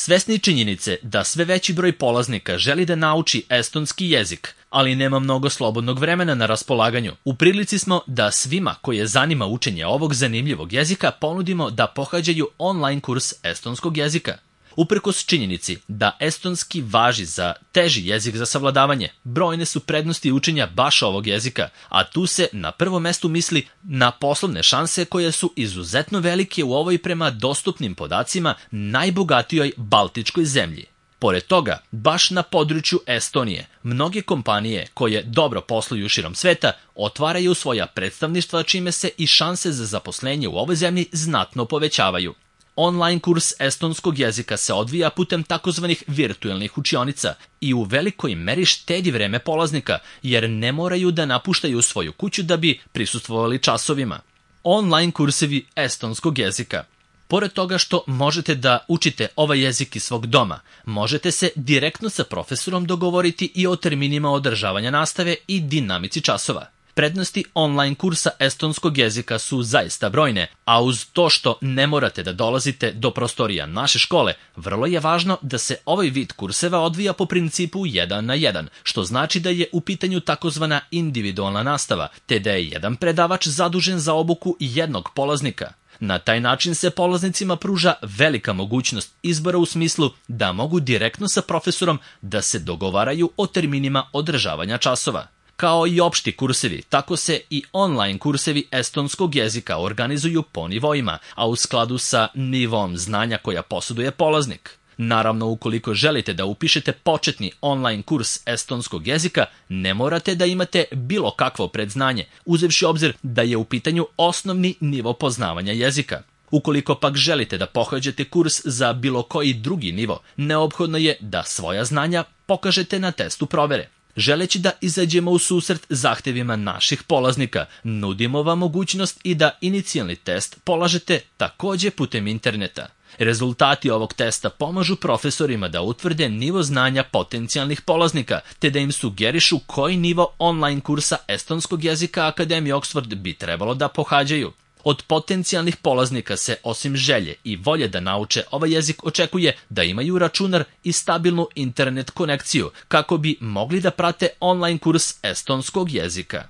Svesni činjenice da sve veći broj polaznika želi da nauči estonski jezik, ali nema mnogo slobodnog vremena na raspolaganju, u prilici smo da svima koje zanima učenje ovog zanimljivog jezika ponudimo da pohađaju online kurs estonskog jezika. Uprkos činjenici da estonski važi za teži jezik za savladavanje, brojne su prednosti učenja baš ovog jezika, a tu se na prvom mestu misli na poslovne šanse koje su izuzetno velike u ovoj prema dostupnim podacima najbogatijoj baltičkoj zemlji. Pored toga, baš na području Estonije, mnoge kompanije koje dobro posluju širom sveta otvaraju svoja predstavništva čime se i šanse za zaposlenje u ovoj zemlji znatno povećavaju. Online kurs estonskog jezika se odvija putem takozvanih virtuelnih učionica i u velikoj meri štedi vreme polaznika, jer ne moraju da napuštaju svoju kuću da bi prisustvovali časovima. Online kursevi estonskog jezika. Pored toga što možete da učite ovaj jezik iz svog doma, možete se direktno sa profesorom dogovoriti i o terminima održavanja nastave i dinamici časova. Prednosti online kursa estonskog jezika su zaista brojne, a uz to što ne morate da dolazite do prostorija naše škole, vrlo je važno da se ovaj vid kurseva odvija po principu 1 na 1, što znači da je u pitanju takozvana individualna nastava, te da je jedan predavač zadužen za obuku jednog polaznika. Na taj način se polaznicima pruža velika mogućnost izbora u smislu da mogu direktno sa profesorom da se dogovaraju o terminima održavanja časova. Kao i opšti kursevi, tako se i online kursevi estonskog jezika organizuju po nivoima, a u skladu sa nivom znanja koja posjeduje polaznik. Naravno, ukoliko želite da upišete početni online kurs estonskog jezika, ne morate da imate bilo kakvo predznanje, uzevši obzir da je u pitanju osnovni nivo poznavanja jezika. Ukoliko pak želite da pohađate kurs za bilo koji drugi nivo, neophodno je da svoja znanja pokažete na testu provere. Želeći da izađemo u susret zahtevima naših polaznika, nudimo vam mogućnost i da inicijalni test polažete takođe putem interneta. Rezultati ovog testa pomažu profesorima da utvrde nivo znanja potencijalnih polaznika, te da im sugerišu koji nivo online kursa estonskog jezika Akademije Oxford bi trebalo da pohađaju. Od potencijalnih polaznika se, osim želje i volje da nauče ovaj jezik, očekuje da imaju računar i stabilnu internet konekciju kako bi mogli da prate online kurs estonskog jezika.